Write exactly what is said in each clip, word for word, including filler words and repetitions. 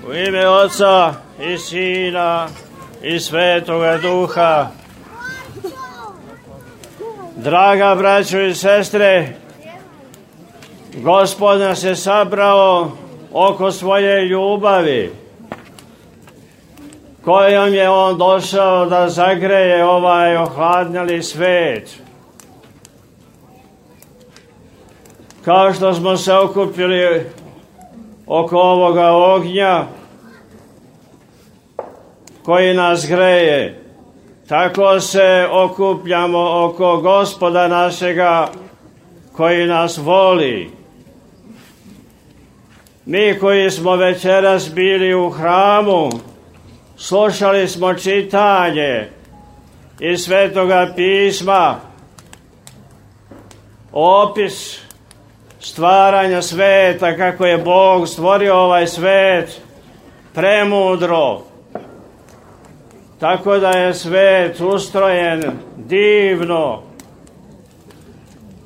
U ime Oca i Sina i Svetoga Duha. Draga braćo i sestre, Gospod nas je sabrao oko svoje ljubavi, kojom je On došao da zagreje ovaj ohladnjeli svet. Kao što smo se okupili oko ovoga ognja koji nas greje, tako se okupljamo oko Gospoda našega koji nas voli. Mi koji smo večeras bili u hramu, slušali smo čitanje iz Svetoga pisma, opis stvaranja sveta, kako je Bog stvorio ovaj svet premudro, tako da je svet ustrojen divno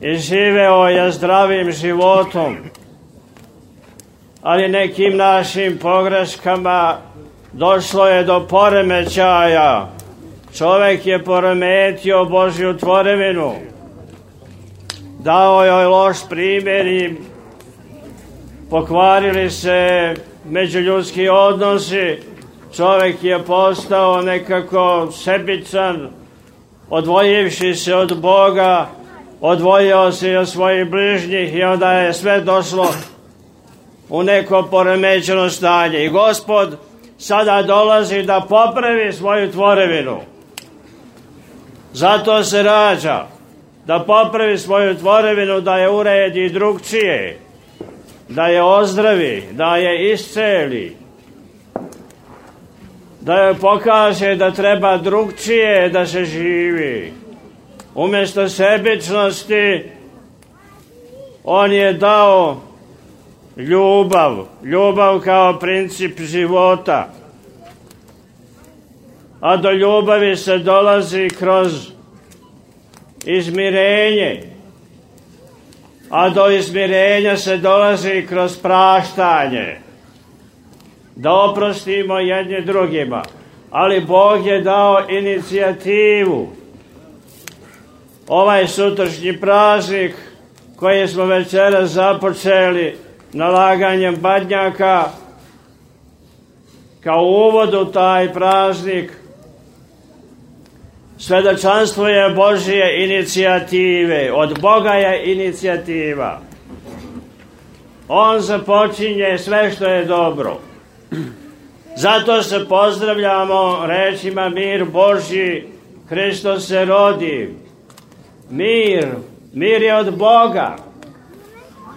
i živeo je zdravim životom, ali nekim našim pogreškama došlo je do poremećaja. Čovjek je poremetio Božju tvorevinu, dao joj loš primjer i pokvarili se međuljudski odnosi. Čovjek je postao nekako sebičan, odvojivši se od Boga, odvojio se i od svojih bližnjih i onda je sve došlo u neko poremećeno stanje. I Gospod sada dolazi da popravi svoju tvorevinu. Zato se rađa, da popravi svoju tvorevinu, da je uredi drugčije, da je ozdravi, da je isceli, da joj pokaže da treba drugčije da se živi. Umjesto sebičnosti, On je dao ljubav, ljubav kao princip života. A do ljubavi se dolazi kroz izmirenje, a do izmirenja se dolazi kroz praštanje, da oprostimo jedni drugima. Ali Bog je dao inicijativu. Ovaj sutrašnji praznik koji smo večeras započeli nalaganjem badnjaka, kao uvod u taj praznik, svedočanstvo je Božje inicijative. Od Boga je inicijativa. On započinje sve što je dobro. Zato se pozdravljamo rečima mir Božji, Hristos se rodi. Mir, mir je od Boga.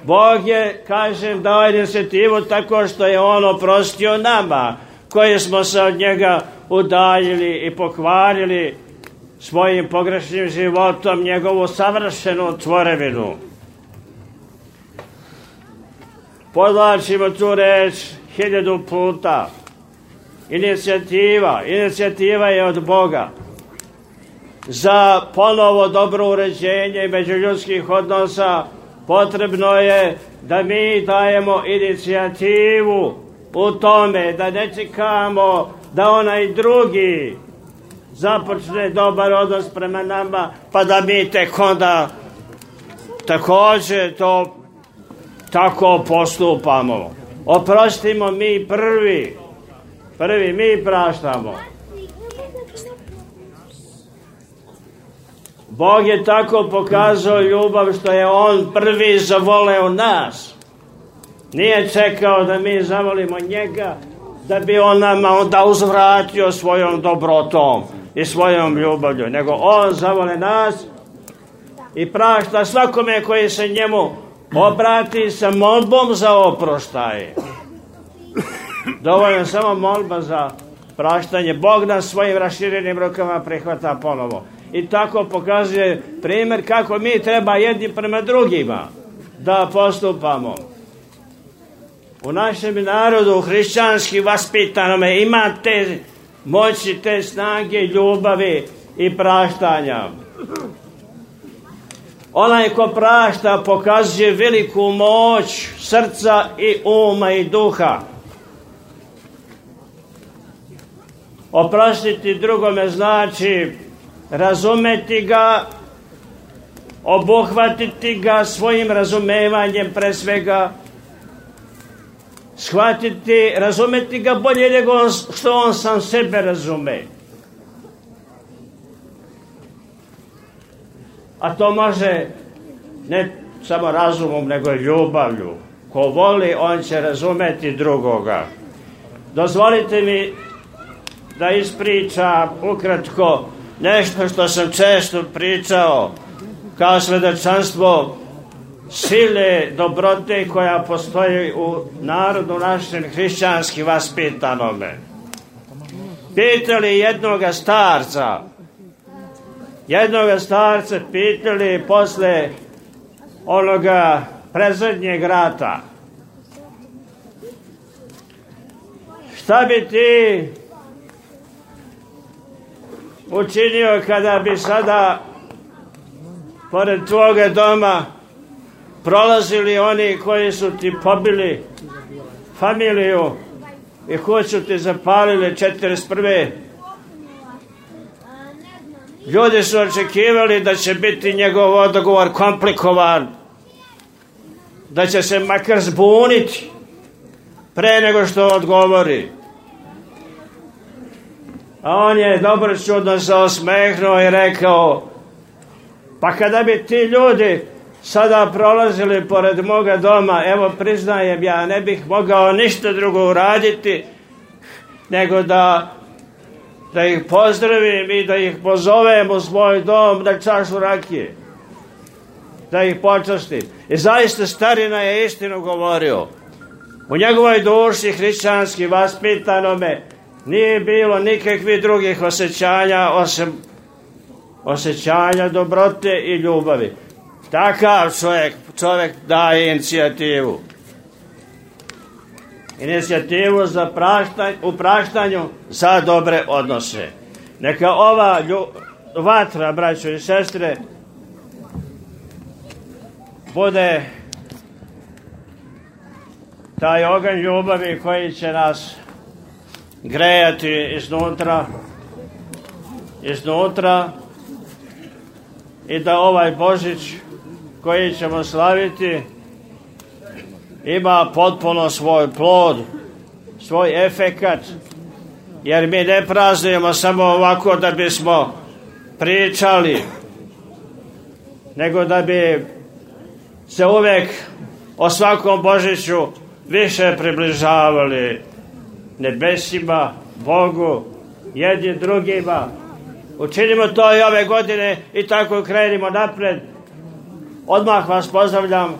Bog je, kažem, dao inicijativu tako što je On oprostio nama, koji smo se od njega udaljili i pokvarili svojim pogrešnim životom njegovu savršenu tvorevinu. Podlačimo tu reč hiljadu puta. Inicijativa, inicijativa je od Boga. Za ponovo dobro uređenje međuljudskih odnosa potrebno je da mi dajemo inicijativu u tome, da ne čekamo da onaj drugi započne dobar odnos prema nama, pa da mi tek onda također to tako postupamo. Oprostimo mi prvi, prvi mi praštamo. Bog je tako pokazao ljubav što je On prvi zavoleo nas. Nije čekao da mi zavolimo njega, da bi On nama onda uzvratio svojom dobrotom i svojom ljubavlju, nego On zavole nas i prašta svakome koji se njemu obrati sa molbom za oproštaje. Dovoljno samo molba za praštanje. Bog nas svojim raširenim rukama prihvata ponovo. I tako pokazuje primjer kako mi treba jedni prema drugima da postupamo. U našem narodu hrišćanski vaspitanome ima te moći, te snage ljubavi i praštanja. Onaj ko prašta pokazuje veliku moć srca i uma i duha. Oprostiti drugome znači razumeti ga, obuhvatiti ga svojim razumevanjem pre svega, shvatiti, razumeti ga bolje nego on, što on sam sebe razume. A to može ne samo razumom, nego i ljubavlju. Ko voli, on će razumeti drugoga. Dozvolite mi da ispričam ukratko nešto što sam često pričao kao svedočanstvo sile dobrote koja postoji u narodu našem hrišćanski vaspitanome. Pitali jednoga starca, jednoga starca pitali posle onoga predzadnjeg rata, šta bi ti učinio kada bi sada pored tvoga doma prolazili oni koji su ti pobili familiju i kuću ti zapalili četrdeset prve. Ljudi su očekivali da će biti njegov odgovor komplikovan, da će se makar zbuniti pre nego što odgovori. A on je dobro čudno se osmehnuo i rekao, pa kada bi ti ljudi sada prolazili pored moga doma, evo priznajem, ja ne bih mogao ništa drugo uraditi nego da da ih pozdravim i da ih pozovem u svoj dom na čašu rakije, da ih počastim. I zaista starina je istinu govorio. U njegovoj duši hrišćanski vaspitanome nije bilo nikakvih drugih osjećanja osim osjećanja dobrote i ljubavi. Takav čovjek, čovjek daje inicijativu. Inicijativu za praštanj, u praštanju za dobre odnose. Neka ova lju, vatra, braćo i sestre, bude taj oganj ljubavi koji će nas grejati iznutra, iznutra i da ovaj Božić koji ćemo slaviti ima potpuno svoj plod, svoj efekat, jer mi ne praznujemo samo ovako da bismo pričali, nego da bi se uvek o svakom Božiću više približavali nebesima, Bogu, jedni drugima. Učinimo to i ove godine i tako krenimo napred. Odmah vas pozdravljam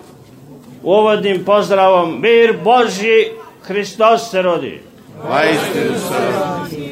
uvodnim pozdravom. Mir Božji, Hristos se rodi. Vajstinu se rodi.